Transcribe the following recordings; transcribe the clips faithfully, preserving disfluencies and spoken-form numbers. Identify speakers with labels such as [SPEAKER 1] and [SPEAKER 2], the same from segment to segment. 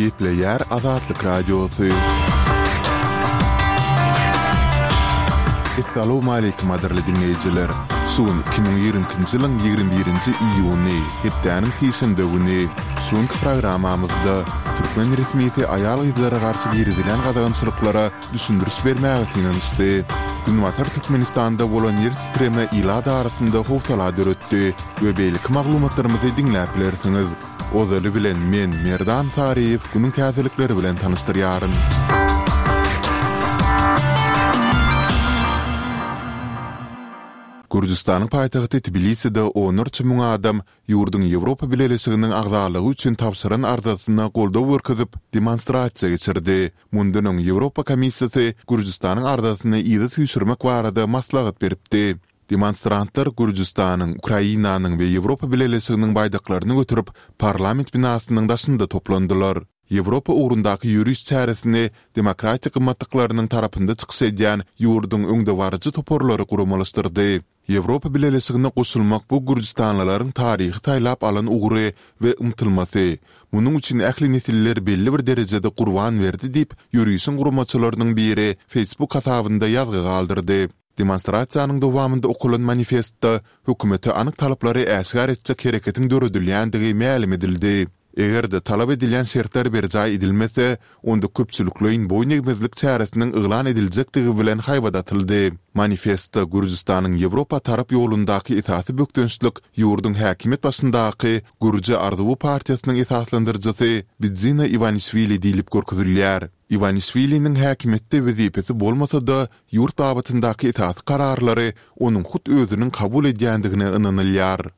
[SPEAKER 1] Gepleýär Azatlyk Radiosy. Essalawmaleýkim gadyrly diňleýjiler! Şu gün iki müň ýigrimi ikinji ýylyň ýigrimi birinji iýuny, hepdäniň sişenbe güni. Şu günki programmamyzda türkmen resmisi aýal-gyzlara garşy girizilen gadagançylyklara düşündiriş bermäge synanyşdy. Günbatar Türkmenistanda bolan ýer titreme ilat arasynda howsala döretdi we beýleki maglumatlarymyzy diňläp bilersiňiz. Ozaly bilen men, Merdan Saryýew, günüň täzelikleri bilen tanyşdyrýaryn. Gürjüstanyň paýtagty Tbiliside onlarça müň adam ýurduň Ýewropa Bileleşiginiň agzalygy üçin tabşyran arzasyna goldaw görkezip, demonstrasiýa geçirdi. Mundan öň Ýewropa Komissiýasy Gürjüstanyň arzasyny yza süýşürmek barada maslahat beripdi. Demonstrantlar Gürjüstanyň, Ukrainanyň we Ýewropa Bileleşiginiň baýdaklaryny göterip, parlament binasynyň daşynda toplandylar. Ýewropa ugrundaky ýöriş çäresini demokratik gymmatlyklarynyň tarapynda çykyş edýän ýurduň öňdebaryjy toparlary guramalaşdyrdy. Ýewropa Bileleşigine goşulmak bu gürjüstanlylaryň taryhy saýlap alan ugry we ymtylmasy. Munuň üçin ähli nesiller belli bir derejede gurban berdi diýip, ýörişiň guramaçylarynyň biri Facebook hasabynda ýazgy galdyrdy. Demonstrasiýanyň dowamynda okalan manifestde hökümete anyk talaplary äşgär etjek hereketiň döredilýändigi mälim edildi. Eger-de talap edilýän şertler berjaý edilmese, onda köpçülikleýin boýun egmezlik çäresiniň yglan ediljekdigi bilen haýbat atyldy. Manifestde Gürjüstanyň Ýewropa tarap ýolundaky esasy bökdençlik ýurduň häkimiýet başyndaky Gürji arzuwy partiýasynyň esaslandyryjysy Bidzina Iwanişwili diýlip görkezilýär. Iwanişwiliniň häkimiýetde wezipesi bolmasa-da, ýurt babatyndaky esasy kararlary onuň hut özüniň kabul edýändigine ynanylýar.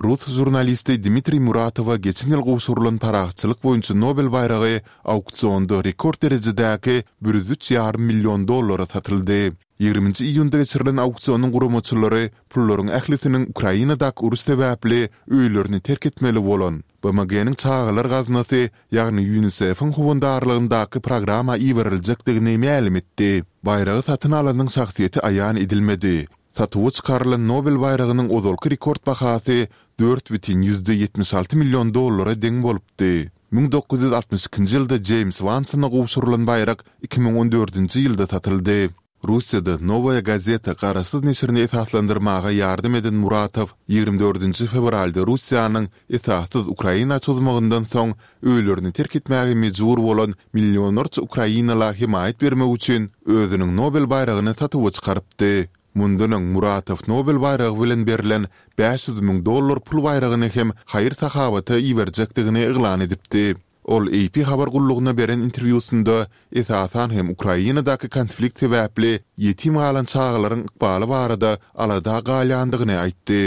[SPEAKER 1] Rus žurnalisti Dmitriý Muratowa geçen ýyl gowşurylan parahatçylyk boýunça Nobel baýragy auksionda rekord derejedäki bir ýüz üç ýarym million dollara satyldy. Ýigriminji iýunda geçirilen auksionyň guramaçylary pullaryň ählisiniň Ukrainadaky uruş sebäpli öýlerini terk etmeli bolan, BMG-niň Çagalar gaznasy, ýagny UNICEF-iň howandarlygyndaky programma iberiljekdigini mälim etdi. Baýragy satyn alanyň şahsyýeti aýan edilmedi. Satuwa çykarylan Nobel baýragynyň ozalky rekord bahasy dört bütin ýüzde ýetmiş alty million dollara deň bolupdy. Müň dokuz ýüz altmyş ikinji ýylda Jeýms Wansona gowşurylan baýrak iki müň on dördünji ýylda satyldy. Russiýada Nowaýa gazeta garaşsyz neşirini esaslandyrmaga ýardam eden Muratow ýigrimi dördünji fewralda Russiýanyň esassyz Ukraina çozmagyndan soň öýlerini terk etmäge mejbur bolan millionlarça ukrainala hemaýat bermek üçin özüniň Nobel baýragyny satuwa çykarypdy. Mundan öň Muratow Nobel baýragy bilen berlen bäş ýüz müň dollar pul baýragyny hem haýyr-sahawata iberjekdigini yglan edipdi. Ol AP habar gullugyna beren interwýusynda esasan hem Ukrainadaky konflikt sebäpli ýetim galan çagalaryň ykbaly barada alada galýandygyny aýtdy.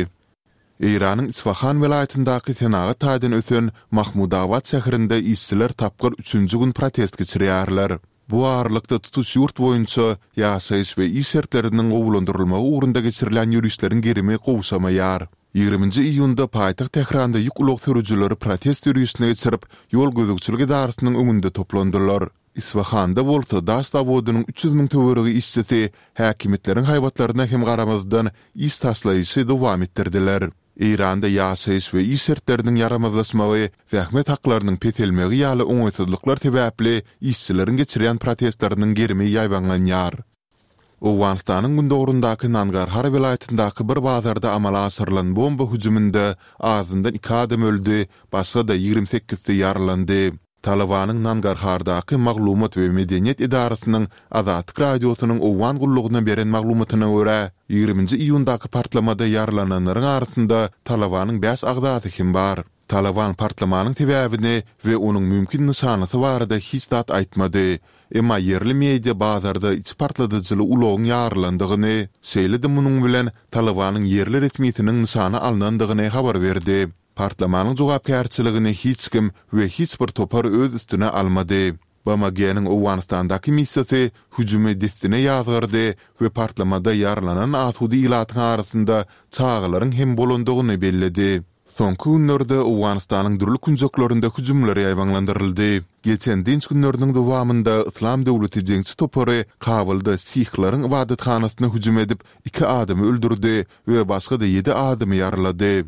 [SPEAKER 1] Eýranyň Isfahan welaýatyndaky senagat taýdan ösen Mahmudabad şäherinde işçiler tapgyr üçünji gün protest geçirýärler. Bu aralykda tutuş ýurt boýunça ýaşaýyş we iş şertleriniň gowulandyrylmagy ugrunda geçirilýän ýörişleriň gerimi gowşamaýar. Ýigriminji iýunda paýtagt Tähranda ýük ulag sürüjileri protest ýörişini geçirip, ýol gözegçilik edarasynyň öňünde toplandylar. Isfahanda bolsa daş zawodynyň üç ýüz müň töweregi işçisi häkimiýetleriň haýbatlaryna hem garamazdan iş taşlaýyşy dowam etdirdiler. Eýranda ýaşaýyş we iş şertleriniň ýaramazlaşmagy, zähmet haklarynyň peselmegi ýaly oňaýsyzlyklar sebäpli işçileriň geçirýän protestleriniň gerimi ýaýbaňlanýar. Owganystanyň gündogaryndaky Nangarhar welaýatyndaky bir bazarda amala aşyrylan bomba hüjüminde azyndan iki adam öldi, başga-da ýigrimi sekizsi ýaralandy. Talybanyň Nangarhardaky maglumat we medeniýet edarasynyň Azatlyk Radiosynyň Owgan gullugyna beren maglumatyna görä, ýigriminji iýundaky partlamada ýaralananlaryň arasynda Talybanyň bäş agzasy hem bar. Talyban partlamanyň sebäbini we onuň mümkin nyşanasy barada hiç zat aýtmady. Emma ýerli media bazarda içi partladyjyly ulagyň ýarylandygyny, şeýle-de munuň bilen Talybanyň ýerli resmisiniň nyşana alnandygyny habar berdi. Partlamanyň jogapkärçiligini hiç kim we hiç bir topar öz üstüne almady. BMG-niň Owganystandaky missiýasy hüjümi dessine ýazgardy we partlamada ýaralanan asuda ilatyň arasynda çagalaryň hem bolandygyny belledi. Soňky günlerde Owganystanyň dürli künjeklerinde hüjümler ýaýbaňlandyryldy. Geçen dynç günleriniň dowamynda Yslam döwleti jeňçi topary Kabulda sihleriň ybadathanasyna hüjüm edip, iki adamy öldürdi we başga-da ýedi adamy ýaralady.